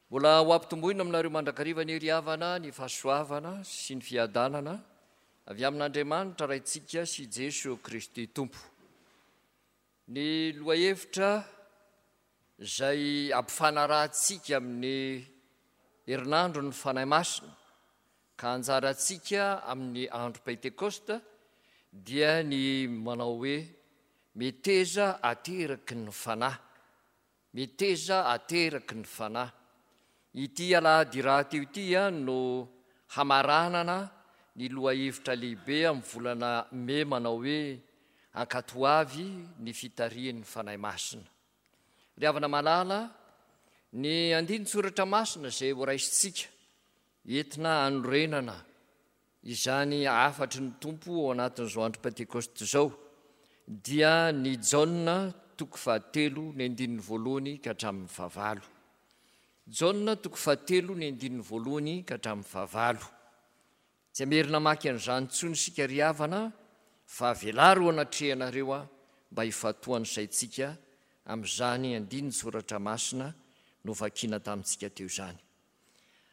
Mbola ho ampitomboina aminareo mandrakariva anie ry havana ny fahasoavana sy ny fiadanana avy amin'Andriamanitra Raintsika sy Jeso Kristy Tompo. Ny lohahevitra izay ampifanarahantsika amin'ny herinandron'ny Fanahy Masina ka anjarantsika amin'ny andro Pentekosta dia ny manao hoe meteza ateraky ny Fanahy. Meteza ateraky ny Fanahy. Ity alahady rahateo ity no hamaranana ny lohahevitra lehibe amin'ny volana mey manao hoe Ankatoavy ny fitarihan'ny Fanahy Masina. Ry havana malala, ny andinin-tsoratra masina izay horaisintsika entina hanorenana Izany hafatry ny Tompo ao anatin'izao andro Pentekosta izao dia ny Jaona toko fahatelo ny andininy voalohany ka hatramin'ny fahavalo. Jaona toko fahatelo ny andininy voalohany ka hatramin'ny fahavalo. Tsy hamerina hamaky an'izany intsony isika ry havana fa avelaro eo anatrehanareo aho mba hifantohan'ny saintsika amin'izany andinin-tsoratra masina novakiana tamintsika teo izany.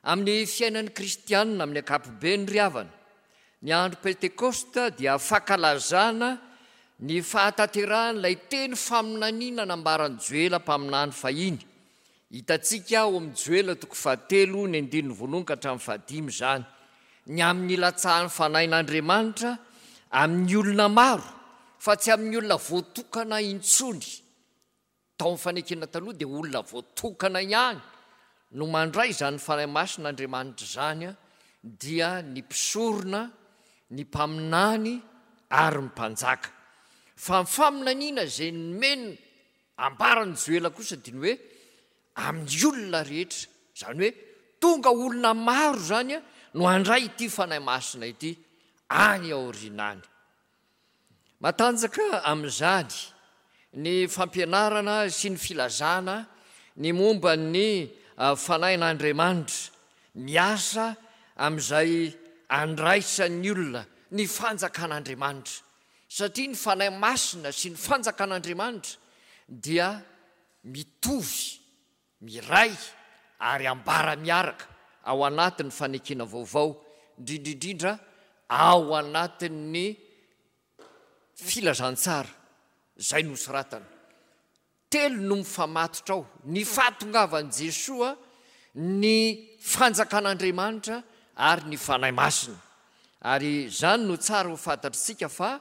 Amin'ny fiainan'ny kristianina amin'ny ankapobeny ry havana, ny andro Pentekosta dia fankalazana ny fahatanterahan'ilay teny faminaniana nambaran'i Joela mpaminany fahiny. Hitantsika ao amin'ny Joela toko fahatelo ny andininy voalohany ka hatramin'ny fahadimy izany, ny amin'ny hilatsahan'ny Fanahin'Andriamanitra amin'ny olona maro fa tsy amin'ny olona voatokana intsony. Tao amin'ny Fanekena Taloha dia olona voatokana ihany no mandray izany Fanahy Masina Andriamanitra izany, dia ny mpisorona, ny mpaminany ary ny mpanjaka. Fa ny faminaniana izay nomeny ambaran'i Joela kosa dia ny hoe amin'ny olona rehetra, izany hoe tonga olona maro izany no handray ity Fanahy Masina ity any aoriana any. Matanjaka amin'izany ny fampianarana sy ny filazana ny momba ny Fanahin'Andriamanitra miasa amin'izay andraisan'ny olona ny fanjakan'Andriamanitra, satria ny Fanahy Masina sy ny fanjakan'Andriamanitra dia mitovy, miray ary ambara miaraka ao anatin'ny fanekena vaovao, indrindra indrindra ao anatin'ny filazantsara izay nosoratana. Telo no mifamatotra ao, ny fahatongavan'i Jesoa, ny fanjakan'Andriamanitra ary ny Fanahy Masina. Ary izany no tsara ho fantatr'isika fa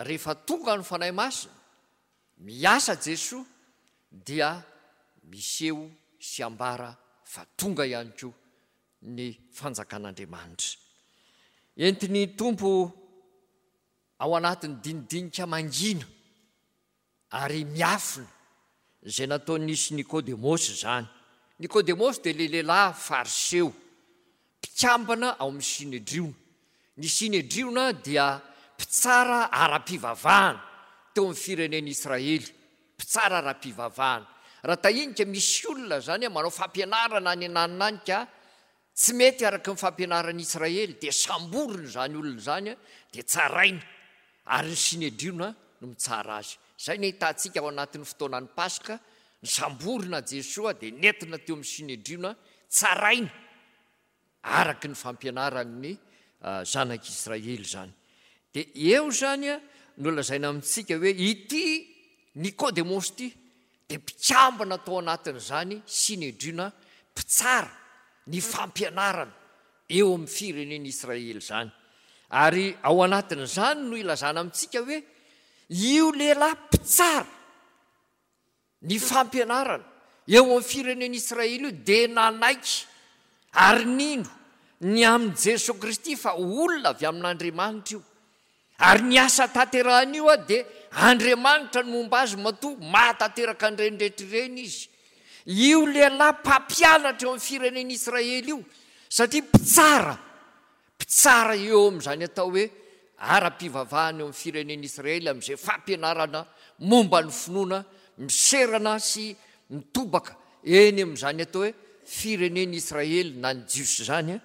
rehefa tonga ny Fanahy Masina, Miasa Jesoa dia miseho sy ambara fa tonga ihany koa ny fanjakan'Andriamanitra. Entin'ny Tompo ao anatin'ny dinidinika mangina ary miafina izay nataon'i sy Nikodemosy izany. Nikodemosy dia ilay lehilahy fariseo, mpikambana ao amin'ny Synedriona. Ny Synedriona dia mpitsara ara-pivavahana teo amin'ny firenen'i Israely, mpitsara ara-pivavahana. Raha tahinika misy olona izany manao fampianarana any ananona any ka tsy mety araka ny fampianaran'i Israely dia samborina izany olona izany dia tsaraina ary ny Synedriona no mitsara azy. Izay no ahitantsika ao anatin'ny fotoanan'ny Paska, nisamborina Jesoa dia nentina teo amin'ny Synedriona, tsaraina araka ny fampianaran'ny zanak'Israely izany. Dia eo izany no lazaina amintsika hoe ity Nikodemosy ity dia mpikambana tao anatin'izany Synedriona mpitsara ny fampianarana eo amin'ny firenen'Israely izany. Ary ao anatin'izany no ilazana amintsika hoe io lehilahy mpitsara Ny fampianarana eo amin'ny firenen'Israely io dia nanaiky ary nino ny amin'i Jesoa Kristy fa olona avy amin'Andriamanitra io. Ary ny asa tanterahiny io dia Andriamanitra no momba azy matoa mahatanteraka an'ireny rehetra ireny izy. Io lehilahy mpampianatra eo amin'ny firenen'Israely io satria mpitsara Mpitsara eo amin'izany atao hoe ara-pivavahana eo amin'ny firenen'Israely amin'izay fampianarana momba ny finoana miserana sy mitobaka eny amin'izany atao hoe firenen'Israely na ny Jiosy izany,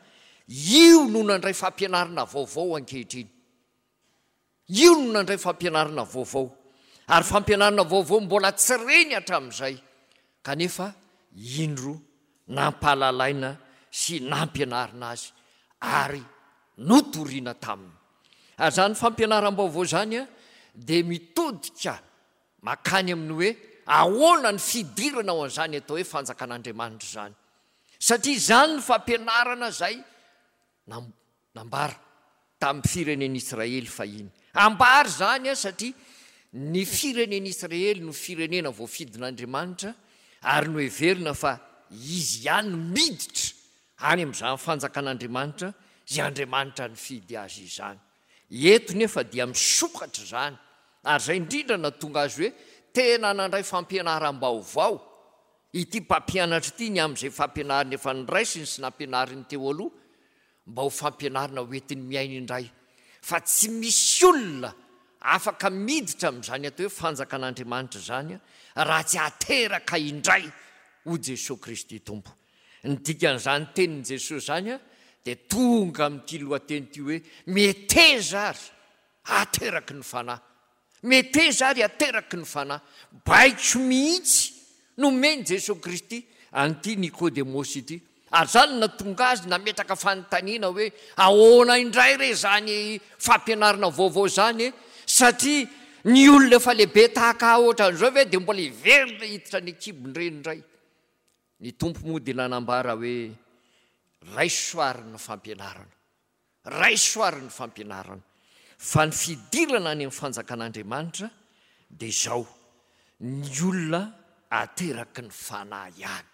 io no nandray fampianarana vaovao ankehitriny. Io no nandray fampianarana vaovao, ary fampianarana vaovao mbola tsy reny hatramin'izay, kanefa indro. nampahalalaina sy nampianarina azy ary notorina taminy. Ary izany fampianaram-baovao izany dia mitodika mankany amin'ny hoe ahoana ny fidirana ao an'izany atao hoe fanjakan'Andriamanitra izany. Satria izany no fampianarana izay nambara tamin'ny firenen'Israely fahiny. Ambara izany satria ny firenen'Israely no firenena voafidin'Andriamanitra ary noheverina fa izy ihany no miditra any amin'izany fanjakan'Andriamanitra izay Andriamanitra nifidy azy izany. Eto nefa dia misokatra izany ary izay indrindra nahatonga azy hoe tena nandray fampianaram-baovao ity mpampianatra ity ny amin'izay fampianarana efa noraisiny sy nampianariny teo aloha mba ho fampianarana ho entiny miaina indray fa tsy misy olona afaka miditra amin'izany atao hoe fanjakan'Andriamanitra izany raha tsy ateraka indray ho Jesoa Kristy Tompo. Ny dikan'izany tenin'i Jesoa izany dia tonga amin'ity lohateny ity hoe meteza ary ateraky ny Fanahy. Meteza ary ateraky ny Fanahy. Baiko mihitsy nomen'i Jesoa Kristy an'ity Nikodemosy ity. Ary izany no nahatonga azy nametraka fanontaniana hoe, Ahoana indray re izany fampianarana vaovao izany e? Satria ny olona efa lehibe tahaka ahy ohatran'izao ve dia mbola hiverina hiditra any an-kibon-dreny indray? Ny Tompo moa dia nanambara hoe, Raiso àry ny fampianarana. Raiso àry ny fampianarana. Fa ny fidirana any amin'ny fanjakan'Andriamanitra dia izao, ny olona ateraky ny Fanahy ihany.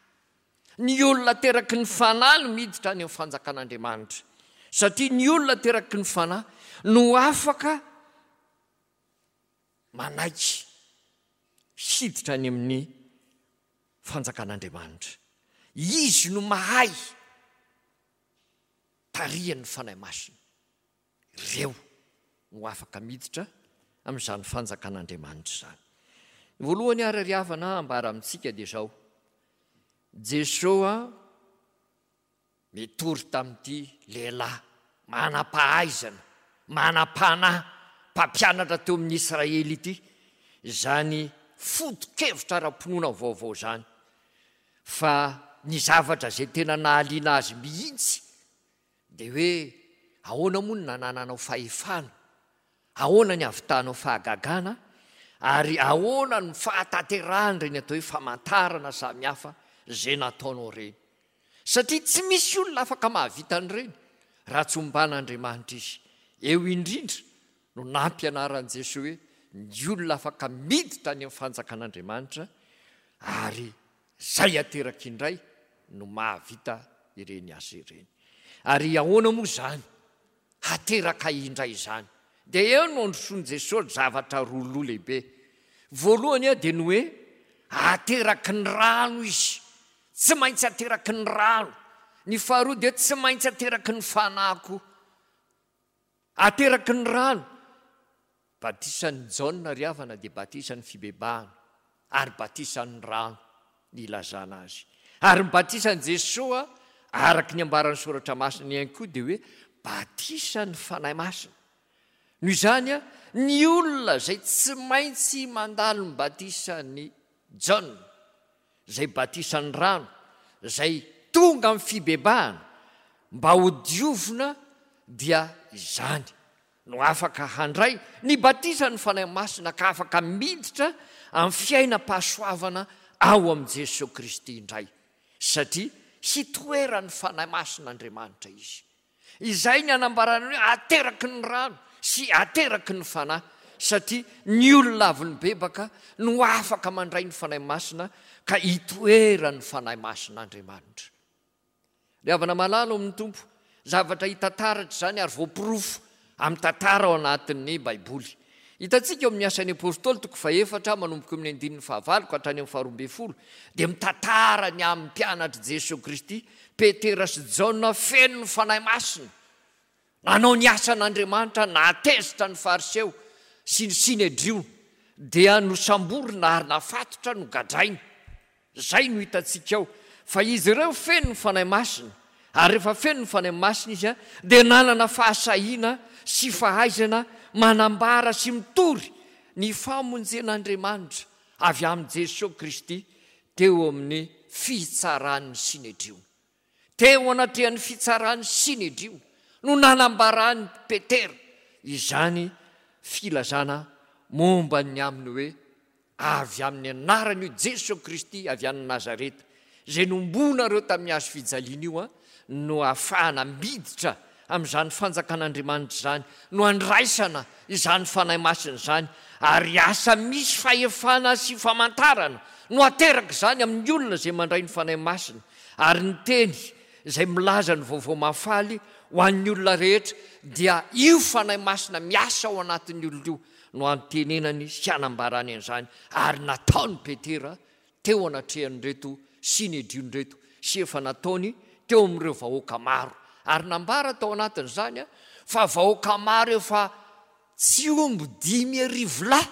Ny olona ateraky ny Fanahy no miditra any amin'ny fanjakan'Andriamanitra. Satria ny olona ateraky ny Fanahy no afaka manaiky hiditra any amin'ny fanjakan'Andriamanitra. Izy no mahay tarihan'ny Fanahy Masina. Ireo no afaka miditra amin'izany fanjakan'Andriamanitra izany. Ny voalohany ary ry havana ambara amintsika dia izao, Jesoa Nitory tamin'ity lehilahy manam-pahaizana, manam-panahy, mpampianatra teo amin'ny Israely ity izany foto-kevitra ara-pinoana vaovao izany. Fa ny zavatra izay tena nahaliana azy mihitsy dia hoe ahoana moa no nanananao fahefana, ahoana ny havitanao fahagagana, ary ahoana no fahatanterahan'ireny atao hoe famantarana samihafa izay nataonao ireny. Satria tsy misy olona afaka mahavita an'ireny raha tsy omban'Andriamanitra izy. Eo indrindra no nampianaran'i Jesoa hoe ny olona afaka miditra any amin'ny fanjakan'Andriamanitra ary izay ateraka indray no mahavita ireny asa ireny. Ary ahoana moa izany hateraka indray izany? Dia eo no androsoan'i Jesoa zavatra roa loha lehibe. Voalohany dia ny hoe ateraky ny rano izy. Tsy maintsy ateraky ny rano. Ny faharoa dia tsy maintsy ateraky ny fanahy koa. Ateraky ny rano. Batisan'i Jaona ry havana dia batisan'ny fibebahana ary batisan'ny rano ny ilazana azy. Ary ny batisan'i Jesoa araka ny ambaran'ny Soratra Masina ihany koa dia hoe batisan'ny Fanahy Masina. Noho izany, ny olona izay tsy maintsy mandalo ny batisan'i Jaona izay batisan'ny rano, izay tonga amin'ny fibebahana mba ho diovina dia izany no afaka handray ny batisan'ny Fanahy Masina ka afaka miditra amin'ny fiainam-pahasoavana ao amin'i Jesoa Kristy indray satria hitoeran'ny Fanahy Masin'Andriamanitra izy. Izay ny anambarana ny hoe ateraky ny rano sy ateraky ny Fanahy, satria ny olona avy nibebaka no afaka mandray ny Fanahy Masina ka itoeran'ny Fanahy Masin'Andriamanitra. Ry havana malala ao amin'ny Tompo, zavatra hita taratra izany ary voaporofo amin'ny tantara ao anatin'ny Baiboly. Hitantsika eo amin'ny Asan'ny Apostoly toko fahefatra manomboka eo amin'ny andininy fahavalo ka hatrany amin'ny faharoambinifolo dia mitantara ny amin'ny mpianatr'i Jesoa Kristy, Petera sy Jaona feno ny Fanahy Masina, nanao ny asan'Andriamanitra, nahatezitra ny Fariseo sy ny Synedriona, dia nosamborina ary nafatotra nogadraina. Izay no hitantsika ao, fa izy ireo feno ny Fanahy Masina, ary rehefa feno ny Fanahy Masina izy dia nanana fahasahiana sy fahaizana manambara sy mitory ny famonjen'Andriamanitra avy amin'i Jesoa Kristy teo amin'ny. fitsaran'ny Synedriona. Teo anatrehan'ny fitsaran'ny Synedriona no nanambaran'i Petera izany filazana momba ny amin'ny hoe avy amin'ny anaran'io Jesoa Kristy avy any Nazareta, izay nombonareo tamin'ny hazo fijaliana io, no ahafahana miditra amin'izany fanjakan'Andriamanitra izany, no andraisana izany Fanahy Masina izany, ary asa misy fahefana sy famantarana no ateraka izany amin'ny olona izay mandray ny Fanahy Masina, ary ny teny izay milaza ny vaovao mahafaly ho an'ny olona rehetra dia io Fanahy Masina miasa ao anatin'ny olona io no antenenany sy anambarany an'izany, ary nataon'i Petera teo anatrehan'ireto Synedriona ireto sy efa nataony teo amin'ireo vahoaka maro, ary nambara tao anatin'izany fa vahoaka maro efa tsy omby 5000 lahy,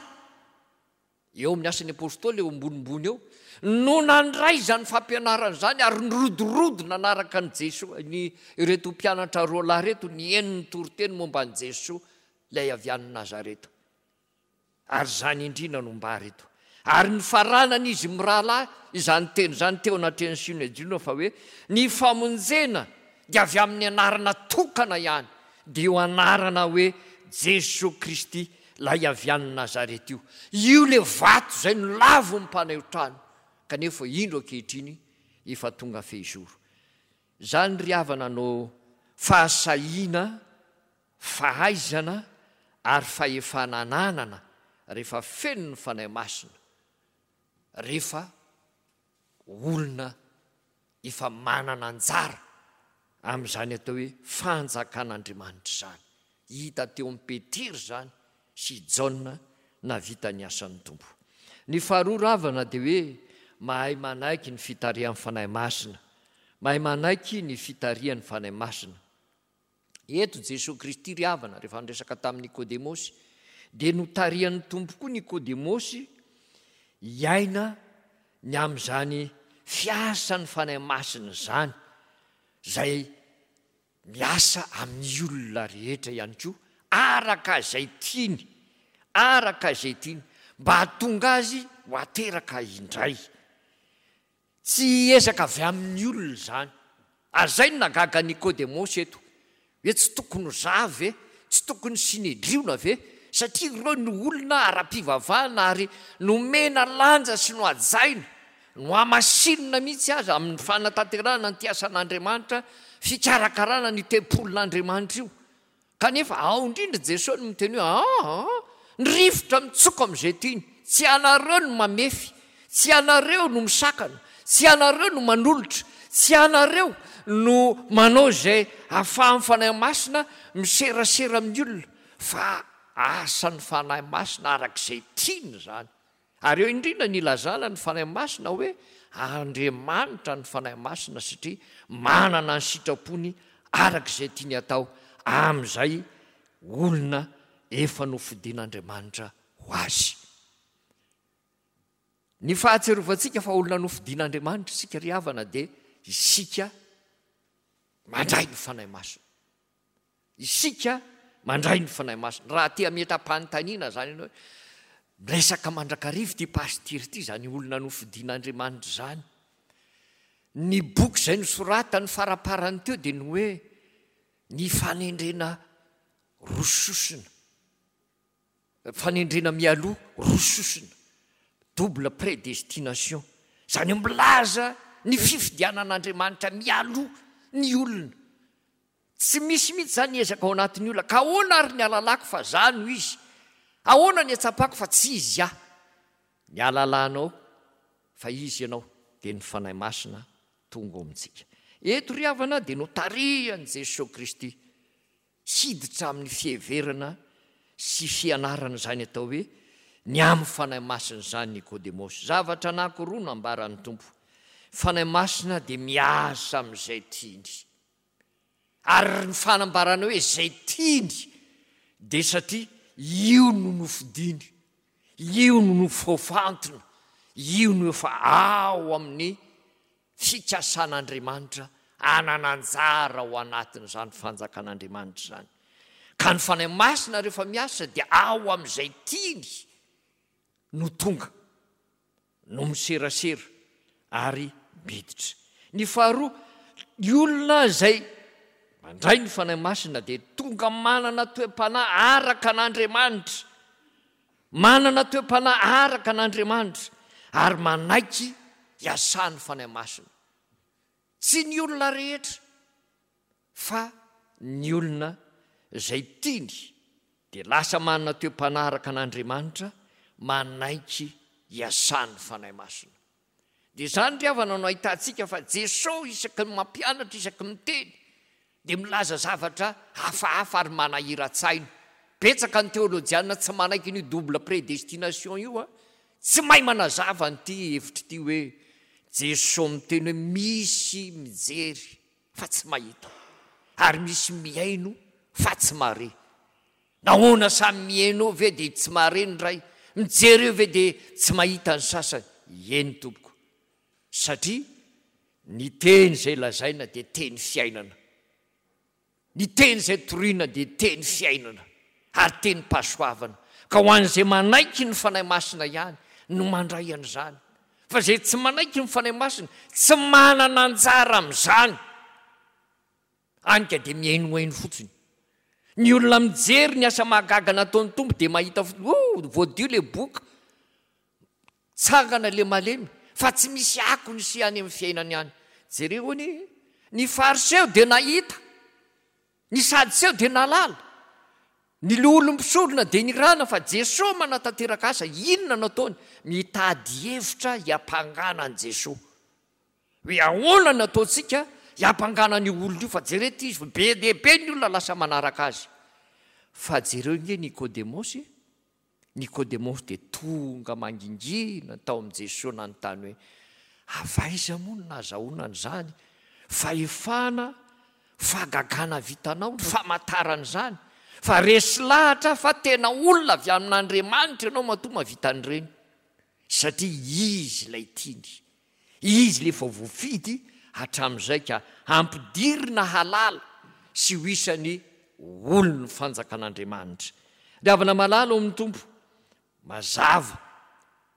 eo amin'ny Asan'ny Apostoly eo ambonimbony eo, no nandray izany fampianarana izany ary nirodorodo nanaraka an'i Jesoa, ny ireto mpianatra roa lahy ireto nihaino ny toriteny momba an'i Jesoa ilay avy any Nazareta. Ary izany indrindra no mbara eto. Ary nifaranan'izy mirahalahy izany teny izany teo anatrehan'ny Synedriona fa hoe, Ny famonjena dia avy amin'ny anarana tokana ihany, dia io anarana hoe Jesoa Kristy ilay avy any Nazareta io. Io ilay vato izay nolavin'ny mpanaio trano, kanefa indro ankehitriny efa tonga fehizoro. Izany ry havana no fahasahiana fahaizana ary fahefana ananana rehefa feno ny Fanahy Masina, rehefa olona efa manana anjara amin'izany atao hoe fanjakan'Andriamanitra izany. Hita teo amin'i Petera izany sy i Jaona nahavita ny asan'ny Tompo. Ny faharoa ravana dia hoe mahay manaiky ny fitarihan'ny Fanahy Masina. Mahay manaiky ny fitarihan'ny Fanahy Masina. Eto Jesoa Kristy ry havana, rehefa niresaka tamin'i Nikodemosy, dia notarihan'ny Tompo koa Nikodemosy hiaina ny amin'izany fiasan'ny Fanahy Masina izany, izay miasa amin'ny olona rehetra ihany koa, araka izay tiany, araka izay tiany, mba hahatonga azy ho ateraka indray. Tsy ezaka avy amin'ny olona izany. Ary izay no nahagaga an'i Nikodemosy eto, hoe tsy tokony ho za ve? Tsy tokony Synedriona ve? Satria ireo no olona ara-pivavahana ary nomena lanja sy nohajaina, nohamasinina mihitsy aza amin'ny fanatanterahana an'ity asan'Andriamanitra fikarakarana ny tempolin'Andriamanitra io. Kanefa ao indrindra Jesoa no miteny hoe aa, ny rivotra mitsoka amin'izay tiany, tsy ianareo no mamefy, tsy ianareo no misakana, tsy ianareo no manolotra, tsy ianareo no manao izay ahafahan'ny Fanahy Masina miserasera amin'ny olona, fa asan'ny Fanahy Masina araka izay tiany izany. Ary eo indrindra ny ilazana ny Fanahy Masina hoe Andriamanitra ny Fanahy Masina satria manana ny sitrapony araka izay tiany atao amin'izay olona efa nofidin'Andriamanitra ho azy. Ny fahatsiarovantsika fa olona nofidin'Andriamanitra isika ry havana dia isika mandray ny Fanahy Masina. Isika mandray ny Fanahy Masina. Raha te hametra-panontaniana izany ianao hoe, miresaka mandrakariva ity pasitera ity, izany olona nofidin'Andriamanitra izany. Ny boky izay nosoratany faraparany teo dia ny hoe ny fanendrena roa sosona. Fanendrena mialoha roa sosona, double prédestination. Izany hoe milaza ny fifidianan'Andriamanitra mialoha ny olona. Tsy misy mihitsy izany ezaka ao anatin'ny olona. Ka ahoana ary ny alalako fa za no izy? Ahoana ny atsapako fa tsy izy aho? Ny alalanao fa izy ianao dia ny Fanahy Masina tonga ao amintsika. Eto ry havana dia notarihan'i Jesoa Kristy hiditra amin'ny fiheverana sy fianarana izany atao hoe ny amin'ny Fanahy Masina izany Nikodemosy. Zavatra anankiroa no ambaran'ny Tompo. Fanahy Masina dia miasa amin'izay tiany. Ary ny fanambarana hoe izay tiany dia satria io no nofidiny, io no nofoafantina, io no efa ao amin'ny fikasan'Andriamanitra hanana anjara ao anatin'izany fanjakan'Andriamanitra izany. Ka ny Fanahy Masina rehefa miasa dia ao amin'izay tiany no tonga, no miserasera ary. miditra. Ny faharoa, ny olona izay mandray ny Fanahy Masina dia tonga manana toe-panahy araka an'Andriamanitra. Manana toe-panahy araka an'Andriamanitra ary manaiky hiasan'ny Fanahy Masina. Tsy ny olona rehetra fa ny olona izay tiany dia lasa manana toe-panahy araka an'Andriamanitra, manaiky hiasan'ny Fanahy Masina. Dia izany ry havana no ahitantsika fa Jesoa isaky ny mampianatra, isaky ny miteny dia milaza zavatra hafahafa ary manahiran-tsaina. Betsaka ny teolojiana tsy manaiky an'io double prédestination io an! Tsy mahay manazava an'ity hevitra ity hoe Jesoa miteny hoe misy mijery fa tsy mahita ary misy mihaino fa tsy mahare. Nahoana samy mihaino eo ve dia tsy mahare ny iray, mijery eo ve dia tsy mahita ny sasany? Eny tompoko, satria ny teny izay lazaina dia teny fiainana. Ny teny izay torina dia teny fiainana ary tenim-pahasoavana. Ka ho an'izay manaiky ny Fanahy Masina ihany no mandray an'izany. Fa izay tsy manaiky ny Fanahy Masina, tsy manana anjara amin'izany. Any ka dia mihainohaino fotsiny. Ny olona mijery ny asa mahagaga nataon'ny Tompo dia mahita fotsiny, oh, voadio ilay boka, tsangana ilay malemy, fa tsy misy akony sy any amin'ny fiainany any. Jereo anie e! Ny Fariseo dia nahita, ny Sadiseo dia nahalala, ny loholon'ny mpisorona dia nirana fa Jesoa manatanteraka asa, inona no ataony? Mitady hevitra hiampangana an'i Jesoa. Hoe ahoana no ataontsika hiampangana an'io olona io fa jereo ity izy fa be dia be ny olona lasa manaraka azy. Fa jereo nge Nikodemosy e! Nikodemosy dia tonga mangingina tao amin'i Jesoa nanontany hoe, avy aiza moa no nahazahoana an'izany fahefana, fahagagana vitanao, ny famantarana izany? Fa resy lahatra aho fa tena olona avy amin'Andriamanitra ianao matoa mahavita an'ireny. Satria izy ilay tiany. Izy ilay efa voafidy hatramin'izay ka hampidirina halala sy ho isan'ny olon'ny fanjakan'Andriamanitra. Ry havana malala ao amin'ny Tompo, mazava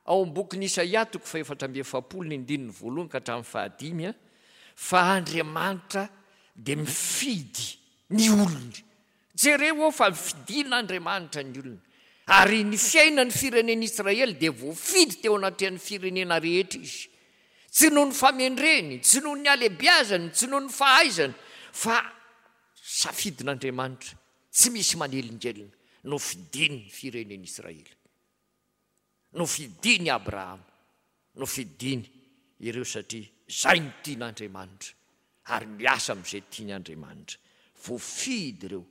ao amin'ny bokin'i Isaia toko fahefatra amby 40 ny andininy voalohany ka hatramin'ny fahadimy fa Andriamanitra dia mifidy ny olony. Jereo ao fa fidin'Andriamanitra ny olona. Ary ny fiainan'ny firenen'Israely dia voafidy teo anatrehan'ny firenena rehetra izy. Tsy noho ny famendreny, tsy noho ny halebiazany, tsy noho ny fahaizany, fa safidin'Andriamanitra, tsy misy manelingelina, nofidiny ny firenen'Israely. Nofidiny Abrahama, nofidiny ireo satria izay no tian'Andriamanitra ary miasa amin'izay tiany Andriamanitra. Voafidy ireo.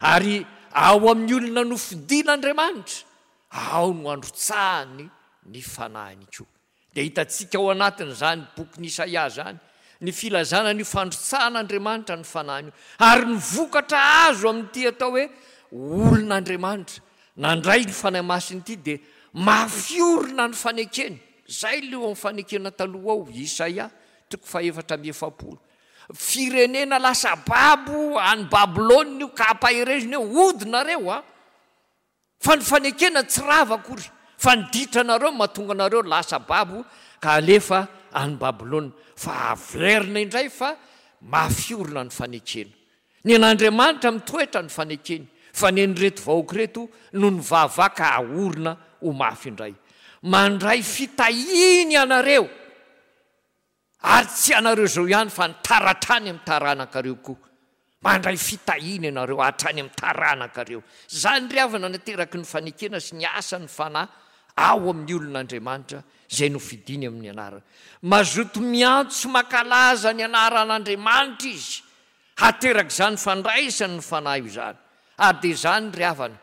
Ary ao amin'ny olona nofidin'Andriamanitra, ao no androtsahany ny fanahiny koa. Dia hitantsika ao anatin'izany bokin'i Isaia izany ny filazana an'io fandrotsahan'Andriamanitra ny fanahiny io, ary ny vokatra azo amin'ity atao hoe olon'Andriamanitra nandray ny Fanahy Masina ity dia mafy orina ny fanekeny. Izay ilay ao amin'ny fanekena taloha ao, Isaia toko fahefatra amby 40. Firenena lasa babo any Babylona io ka ampaherezina eo, hody nareo a! Fa ny fanekena tsy rava akory, fa ny ditranareo no mahatonga anareo lasa babo ka alefa any Babylona. Fa averina indray fa mafy orina ny fanekena. Ny an'Andriamanitra mitoetra ny fanekeny, fa ny an'ireto vahoaka ireto no nivavaha ka aorina ho mafy indray. Mandray fitahiana ianareo. Ary tsy ianareo izao ihany fa ny taratrany amin'ny taranakareo koa. Mandray fitahiana ianareo hatrany amin'ny taranakareo. Izany ry havana nateraky ny fanekena sy ny asan'ny Fanahy ao amin'ny olon'Andriamanitra izay nofidiny amin'ny anarany. Mazoto miantso sy mankalaza ny anaran'Andriamanitra izy. Haterak'izany fandraisany ny Fanahy izany. Ary dia izany ry havana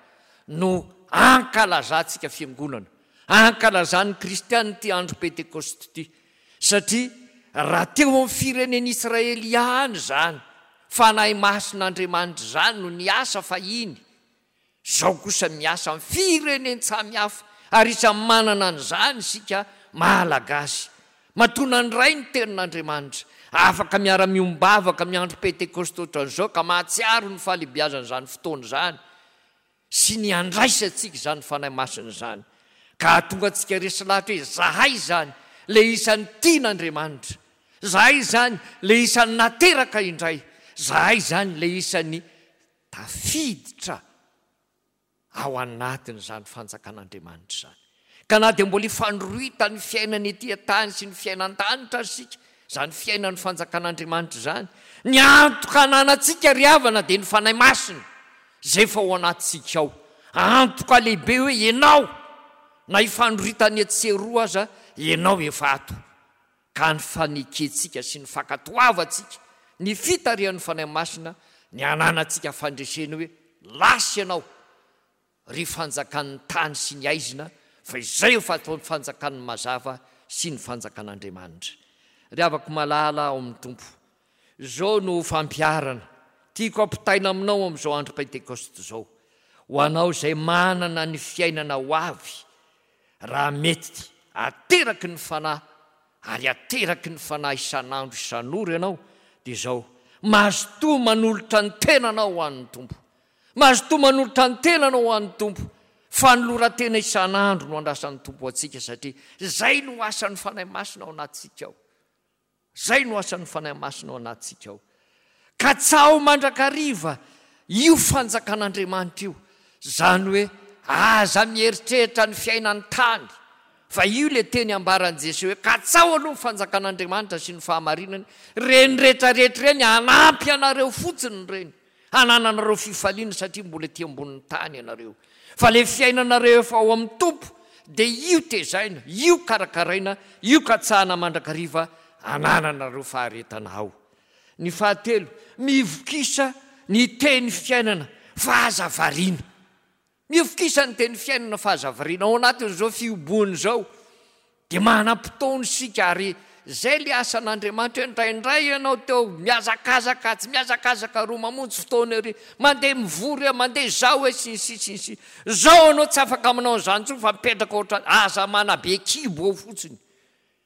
no ankalazantsika fiangonana, ankalazan'ny kristiana ity andro Pentekosta ity. Satria raha teo amin'ny firenen'Israely ihany izany Fanahy Masin'Andriamanitra izany no niasa fahiny, izao kosa miasa amin'ny firenen-tsamy hafa, ary isan'ny manana an'izany isika Malagasy. Matoa nandray ny Tenin'Andriamanitra, afaka miara-miombavaka amin'ny andro Pentekosta ohatran'izao ka mahatsiaro ny fahalehibiazan'izany fotoana izany, sy ny handraisantsika izany Fanahy Masina izany, ka hahatonga antsika resy lahatra hoe izahay izany ilay isan'ny tian'Andriamanitra. Zahay izany le isan'ny nateraka indray, zahay izany le isan'ny tafiditra ao anatin'izany fanjakan'Andriamanitra izany. Ka na dia mbola ifandrohitan'ny fiainana ety an-tany sy ny fiainan-danitra aza isika, izany fiainan'ny fanjakan'Andriamanitra izany, ny antoka ananantsika ry havana dia ny Fanahy Masina izay efa ao anatintsika ao. Antoka lehibe hoe ianao, na ifandrohitan'ny etsy sy eroa aza, ianao efa ato. Ka ny fanekentsika sy ny fankatoavantsika ny fitarihan'ny Fanahy Masina ny ananantsika fandresena hoe lasa ianao ry fanjakan'ny tany sy ny aizina fa izay efa ataon'ny fanjakan'ny mazava sy ny fanjakan'Andriamanitra. Ry havako malala ao amin'ny Tompo, izao no fampiharana tiako ampitaina aminao amin'izao andro Pentekosta izao, ho anao izay manana ny fiainana ho avy, raha mety ateraky ny Fanahy ary ateraky ny Fanahy isan'andro isan'ora ianao, dia izao, mazotoa manolotra ny tenanao ho an'ny Tompo. Mazotoa manolotra ny tenanao ho an'ny Tompo. Fanoloran-tena isan'andro no andrasan'ny Tompo antsika satria izay no asan'ny Fanahy Masina ao anatintsika ao. Izay no asan'ny Fanahy Masina ao anatintsika ao. Katsaho mandrakariva io fanjakan'Andriamanitra io. Izany hoe aza mieritreritra ny fiainan'ny tany fa io ilay teny ambaran'i Jesoa hoe katsaho aloha ny fanjakan'Andriamanitra sy ny fahamarinany, ireny rehetrarehetra ireny hanampy anareo fotsiny ireny. Hanananareo fifaliana satria mbola ety ambonin'ny tany ianareo. Fa ilay fiainanareo efa ao amin'ny Tompo dia io tezaina, io karakaraina, io katsahana mandrakariva hanananareo faharetana ao. Ny fahatelo, mivokisa ny teny fiainana fa aza variana. Mivokisa ny teny fiainana fa aza variana. Ao anatin'izao fihoboana izao dia manam-potoana isika ary izay ilay asan'Andriamanitra hoe indraindray ianao teo mihazakazaka atsy, mihazakazaka aroa, mamonjy fotoana ery, mandeha mivory eo, mandeha izao e, sy ny sisa sy ny sisa. Izao ianao tsy afaka manao an'izany intsony fa mipetraka ohatran'ny, aza manabe kibo ao fotsiny.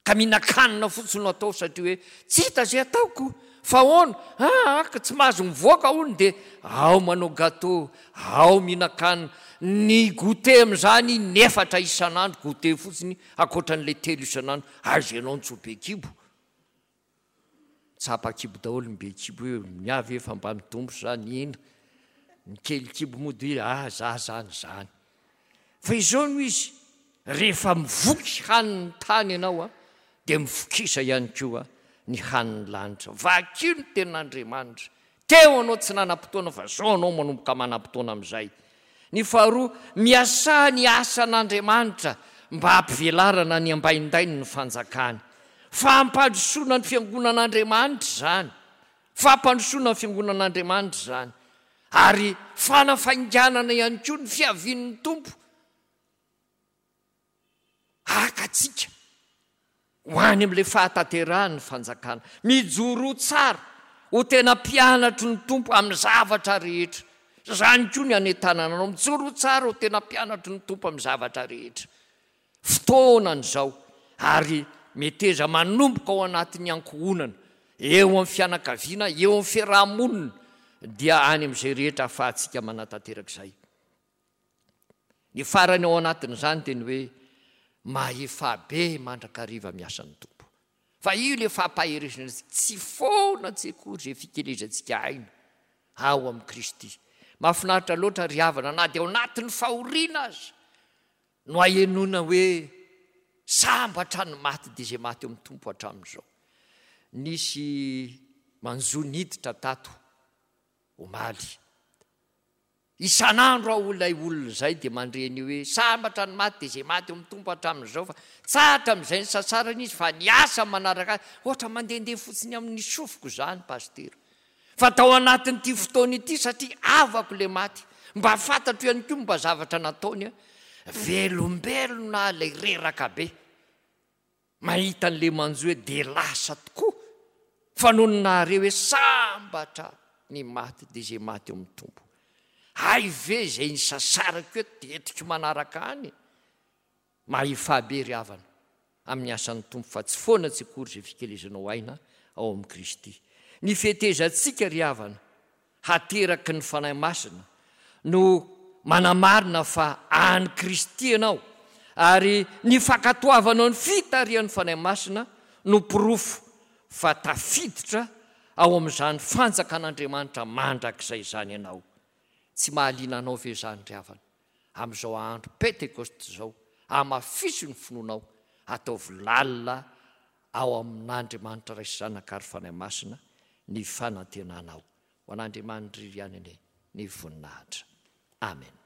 Ka mihinan-kanina fotsiny no atao satria hoe tsy hita izay ataoko fa ahoana? Aa ka tsy mahazo mivoaka hono dia ao manao gateau, ao mihinan-kanina. Ny goûter amin'izany in'efatra isan'andro, goûter fotsiny ankoatran'ilay telo isan'andro. Aiza ianao no tsy ho be kibo? Tsapa kibo daholo ny be kibo hoe ny ahy ve efa mba mitombo sa ny ina? Ny kely kibo moa dia ah za zany zany. Fa izao no izy, rehefa mivoky hanin'ny tany ianao a, dia mivokisa ihany koa ny hanin'ny lanitra. Vakio ny tenin'Andriamanitra. Teo ianao tsy nanam-potoana fa izao ianao manomboka manam-potoana amin'izay. Ny faharoa, miasà ny asan'Andriamanitra mba hampivelarana ny ambaindainy ny fanjakany. Fampandrosoana ny fiangonan'Andriamanitra izany. Fampandrosoana ny fiangonan'Andriamanitra izany. Ary fanafainganana ihany koa ny fiavian'ny Tompo. Haka antsika ho any amin'ilay fahatanterahan'ny fanjakana. Mijoroa tsara ho tena mpianatry ny Tompo amin'ny zavatra rehetra. Izany koa ny hanentanana anao. Mijoroa tsara ho tena mpianatry ny Tompo amin'ny zavatra rehetra. Fotoanany izao ary meteza manomboka ao anatin'ny ankohonana, eo amin'ny fianakaviana, eo amin'ny fiaraha-monina, dia any amin'izay rehetra ahafahantsika manatanteraka izay. Ny farany ao anatin'izany dia ny hoe mahefa be mandrakariva miasa ny Tompo. Fa io ilay fampaherezana antsika, tsy foana tsy akory izay fikelezantsika aina ao amin'i Kristy. Mahafinaritra loatra ry havana na dia ao anatin'ny fahoriana aza no ahenoana hoe sambatra ny maty dia izay maty eo amin'ny Tompo hatramin'izao. Nisy manjo niditra tato omaly. Isan'andro aho ilay olona izay dia mandre an'io hoe sambatra ny maty dia izay maty eo amin'ny Tompo hatramin'izao fa tsahatra amin'izay nisasarana izy fa ny asa manaraka azy ohatra mandehandeha fotsiny amin'ny sofiko izany Pasitera fa tao anatin'ity fotoana ity satria havako ilay maty mba fantatro ihany koa mba zavatra nataony a velombelona aho ilay reraka be. Mahita an'ilay manjo hoe dia lasa tokoa fa nony nahare hoe sambatra ny maty dia izay maty eo amin'ny Tompo. Hay ve izay nisasarako eto dia entiko manaraka any? Mahefà be ry havana amin'ny asan'ny Tompo fa tsy foana tsy akory izay fikelezanao aina ao amin'i Kristy. Ny fetezantsika ry havana hateraky ny Fanahy Masina no manamarina fa an'i Kristy ianao, ary ny fankatoavanao ny fitarihan'ny Fanahy Masina no porofo fa tafiditra ao amin'izany fanjakan'Andriamanitra mandrakizay izany ianao. Tsy mahaliana anao ve izany ry havana? Amin'izao andro Pentekosta izao, amafiso ny finoanao, ataovy lalina ao amin'Andriamanitra Ray sy Zanaka ary Fanahy Masina ny fanantenanao. Ho an'Andriamanitra irery ihany anie ny voninahitra. Amena.